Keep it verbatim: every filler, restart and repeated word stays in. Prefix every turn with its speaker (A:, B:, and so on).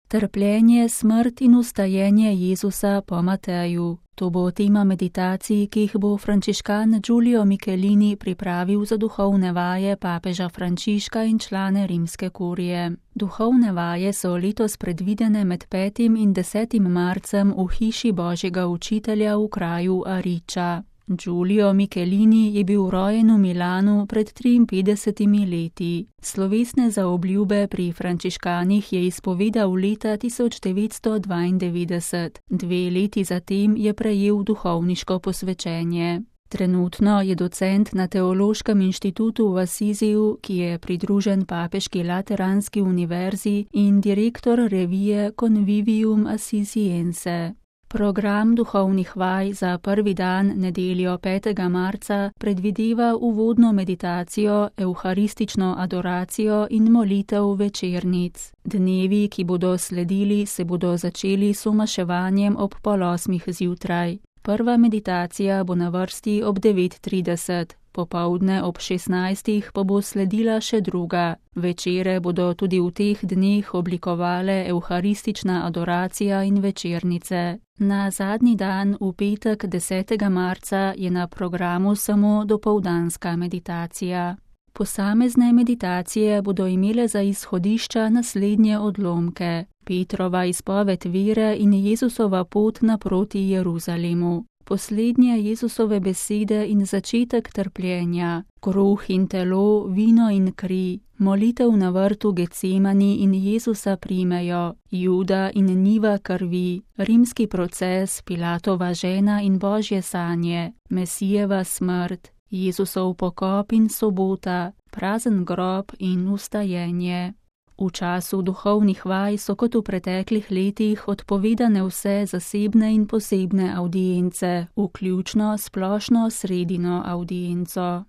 A: Trpljenje, smrt in ustajenje Jezusa po Mateju. To bo tema meditacij, ki jih bo frančiškan Giulio Michelini pripravil za duhovne vaje papeža Frančiška in člane rimske kurije. Duhovne vaje so letos predvidene med petim in desetim marcem v hiši Božjega učitelja v kraju Ariča. Giulio Michelini je bil rojen v Milanu pred triinpetdesetimi leti. Slovesne zaobljube pri frančiškanih je izpovedal leta tisoč devetsto dvaindevetdeset. Dve leti zatem je prejel duhovniško posvečenje. Trenutno je docent na Teološkem inštitutu v Assisiju, ki je pridružen papeški Lateranski univerzi, in direktor revije Convivium Assisiense. Program duhovnih vaj za prvi dan nedeljo petega marca predvideva uvodno meditacijo, evharistično adoracijo in molitev večernic. Dnevi, ki bodo sledili, se bodo začeli s omaševanjem ob pol osmih zjutraj. Prva meditacija bo na vrsti ob devet trideset. Popoldne ob šestnajstih pa bo sledila še druga. Večere bodo tudi v teh dneh oblikovale evharistična adoracija in večernice. Na zadnji dan, v petek desetega marca, je na programu samo dopoldanska meditacija. Posamezne meditacije bodo imele za izhodišča naslednje odlomke: Petrova izpoved vere in Jezusova pot naproti Jeruzalemu. Poslednje Jezusove besede in začetek trpljenja, kruh in telo, vino in kri, molitev na vrtu Getsemani in Jezusa primejo, Juda in njiva krvi, rimski proces, Pilatova žena in Božje sanje, Mesijeva smrt, Jezusov pokop in sobota, prazen grob in ustajenje. V času duhovnih vaj so kot v preteklih letih odpovedane vse zasebne in posebne avdience, vključno splošno sredino avdienco.